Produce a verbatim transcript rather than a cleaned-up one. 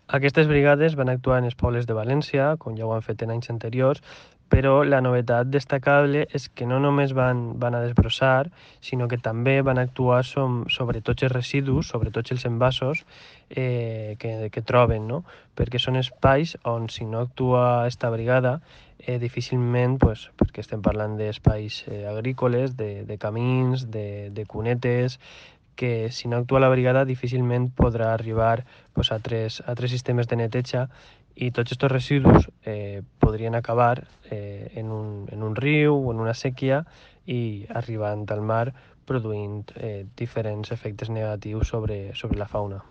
Aquestes brigades van actuar en els pobles de València, com ja ho han fet en anys anteriors, però la novetat destacable és que no només van, van a desbrossar, sinó que també van actuar som, sobre tots els residus, sobre tots els envasos eh, que, que troben, no? Perquè són espais on si no actua esta brigada, eh, difícilment, pues, perquè estem parlant d'espais eh, agrícoles, de, de camins, de, de cunetes, que si no actua la brigada difícilment podrà arribar pues, a, tres, a tres sistemes de neteja i tots aquests residus eh, podrien acabar eh, en, un, en un riu o en una sèquia i arribant al mar produint eh, diferents efectes negatius sobre, sobre la fauna.